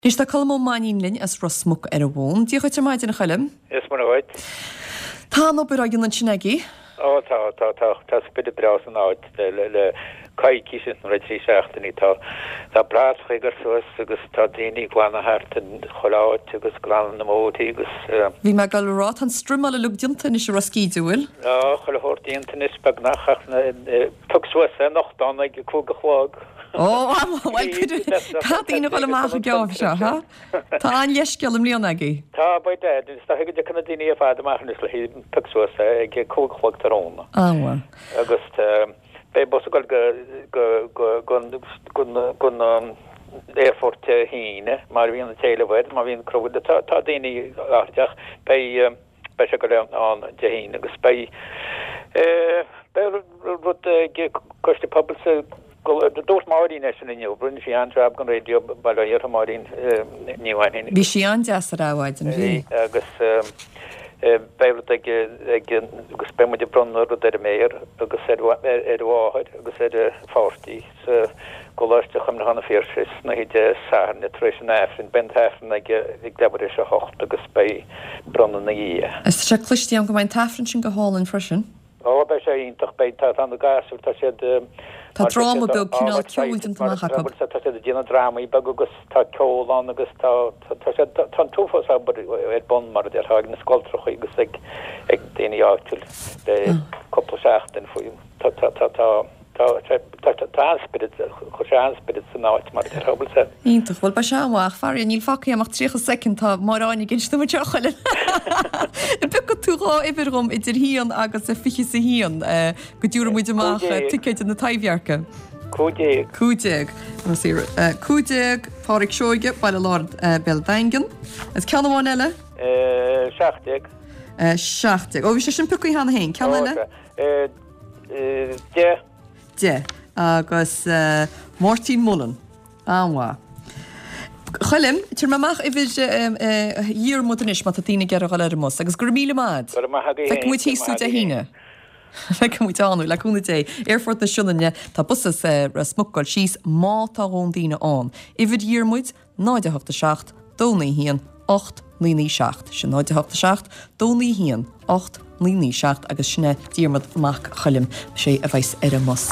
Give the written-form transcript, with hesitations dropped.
Anois tá Colm Ó Mainnín linn as Ros Muc ar an bhfón. Dia dhuit ar maidin, a Choilm. Is Muire dhuit. Tá an obair á dhéanamh ansin agaibh? Ó tá, tá, tá, tá spiorad breá san áit le, le coicís nó le 3 seachtainí. Tá, tá bratacha á gcur suas agus tá daoine ag glanadh thart in chuile áit agus glanadh na mbóithre agus. Bhí mé ag dul a rá, tá an struimeáil uilig déanta anois i Ros Cíde, an bhfuil? Tá chuile shórt déanta anois beagnach ach na, pioc suas é anocht ann ag a 5 a chlog. Ó, bhuel, caithfidh daoine a dhul amach ag geábh seo, ha? Tá an-leithscéal i mbliana agaibh. Tá, by dad, is dóiche go dtiocfaidh na daoine ar fad amach anois le pioc suas é ag a 5 a chlog tráthnóna. An-mhaith. Agus beidh bus ag dul go, go, go, go, go, go aerfort Dé hAoine, mar a bhíonn an t-éileamh air, má bhíonn crowd, tá, tá daoine airdeach, beidh, beidh sé ag dul ann Dé hAoine agus beidh, beidh rud ag Coiste Pobail sa Dúirt Máirín é sin inniu, rinne sí an-jab don raidió, bail ó Dhia uirthi Máirín Ní Mhainnín. Bhí sí an-deas ar Adhmhaidin, bhí. Bhí, agus beidh rud ag, ag, agus beidh muid ag bronnadh rud ar an méara agus ar, ar a mháthair agus ar a pháirtí sa gColáiste Chuimhneacháin an Phiarsaigh san oíche Dé Sathairn tar éis an Aifrinn. Beidh an t-Aifreann ag, ag leathuair tar éis a hocht agus beidh bronnadh ina dhiaidh. Is tá sé cloiste agam go mbeidh an t-Aifreann sin go hálainn freisin. Ó, beidh sé iontach, beidh, tá, tá na gasúir, tá siad, Tá dráma beag, cineál ceoil déanta amach acu. Tá siad ag déanamh drámaí beaga agus tá ceol ann agus tá, tá siad, tá an t-uafás obair ar bun mar a déarfá ag na scoltrachaí agus ag, ag daoine áitiúil le cúpla seachtain faoi, tá, tá, tá, tá. Tá sé, tá, tá an-spiorad, chuir sé an-spiorad san áit mar a déarfá, bhfuil sé. Iontach, bhuel beidh sé an-mhaith, faraor níl fágtha agam ach 30 soicind, tá Máire Áine ag inse dom anseo a Choilm. An bpiocfaidh tú dhá uimhir dhom idir haon agus a fiche is a haon go dtabharfaidh muid amach ticéid do na Taibhdhearca. 15. 15. 15, Pádraic Seoige, Baile Láir, Béal Daingean. Is ceann amháin eile? 17. 17. Ó bhí sé sin pioctha cheana féin. Ceann eile? 10. 10. Agus Máirtín Mullen. An-mhaith. Choilm, tabharfaidh mé amach uimhir Dhiarmuid anois má tá daoine ag iarraidh a dhul ar an mbus. Agus go raibh míle maith a'd. Go raibh maith agaibh féin. Feicfidh muid thíos tú Dé hAoine. Feicfidh muid ann thú, le cúnamh Dé. Aerfort na Sionainne, tá bus as Ros Muc ag dul síos má tá a dhóthain daoine ann. Uimhir Dhiarmuid, 0 8 7 2 9 1 8 9 9 7. Sin 0 8 7 2 9 1 8 9 9 7 agus sin é Diarmuid Mac Choilm, sé a bheas ar an mbus.